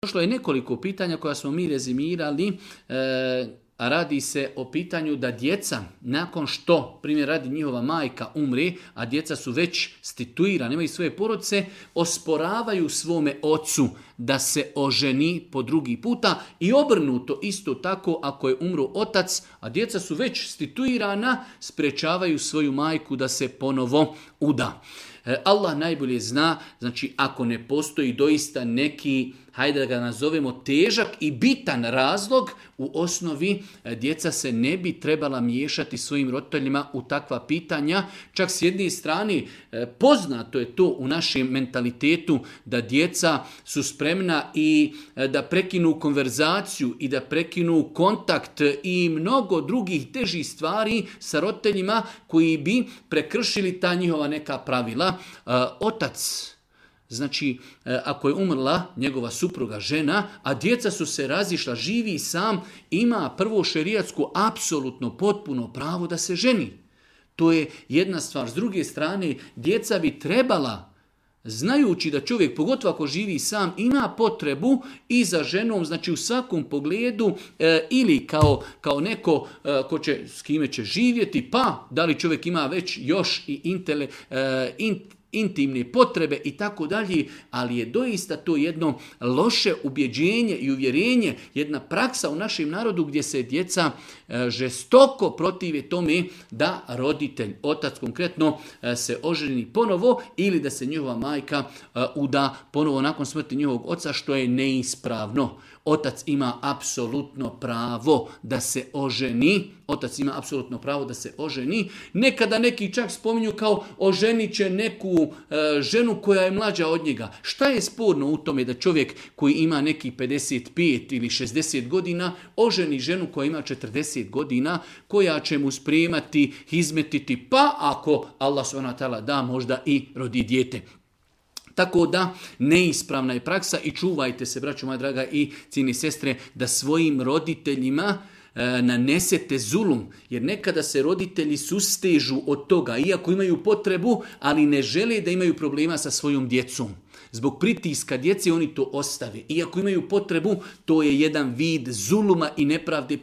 Došlo je nekoliko pitanja koja smo mi rezimirali, a radi se o pitanju da djeca, nakon što, primjer radi njihova majka umre, a djeca su već stituirane, imaju svoje porodice, osporavaju svome ocu da se oženi po drugi puta i obrnuto isto tako ako je umro otac, a djeca su već stituirana, sprečavaju svoju majku da se ponovo uda. Allah najbolje zna, znači ako ne postoji doista neki, hajde da ga nazovemo težak i bitan razlog, u osnovi djeca se ne bi trebala miješati svojim roditeljima u takva pitanja. Čak s jedne strane poznato je to u našem mentalitetu da djeca su spremna i da prekinu konverzaciju i da prekinu kontakt i mnogo drugih težih stvari sa roditeljima koji bi prekršili ta njihova neka pravila. Otac, znači, ako je umrla njegova supruga, žena, a djeca su se razišla, živi sam, ima prvo šerijatsko apsolutno potpuno pravo da se ženi. To je jedna stvar. S druge strane, djeca bi trebala, znajući da čovjek, pogotovo ako živi sam, ima potrebu i za ženom, znači u svakom pogledu, ili kao neko ko će, s kime će živjeti, pa da li čovjek ima već još i intimne potrebe i tako dalje, ali je doista to jedno loše ubjeđenje i uvjerenje, jedna praksa u našem narodu gdje se djeca žestoko protive tome da roditelj, otac konkretno, se oženi ponovo ili da se njihova majka uda ponovo nakon smrti njihovog oca, što je neispravno. Otac ima apsolutno pravo da se oženi. Otac ima apsolutno pravo da se oženi. Nekada neki čak spominju kao oženit će neku ženu koja je mlađa od njega. Šta je sporno u tome da čovjek koji ima neki 55 ili 60 godina oženi ženu koja ima 40 godina, koja će mu spremati, izmetiti, pa ako Allah subhanahu wa ta'ala da, možda i rodi dijete. Tako da neispravna je praksa i čuvajte se, braćo moja draga i cijene sestre, da svojim roditeljima nanesete zulum, jer nekada se roditelji sustežu od toga, iako imaju potrebu, ali ne žele da imaju problema sa svojom djecom. Zbog pritiska djece oni to ostave. Iako imaju potrebu, to je jedan vid zuluma i nepravde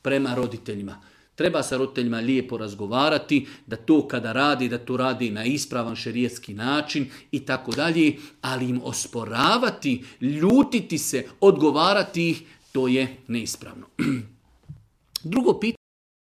prema roditeljima. Treba sa roditeljima lijepo razgovarati, da to kada radi, da to radi na ispravan šerijatski način i tako dalje, ali im osporavati, ljutiti se, odgovarati ih, to je neispravno. Drugo pitanje.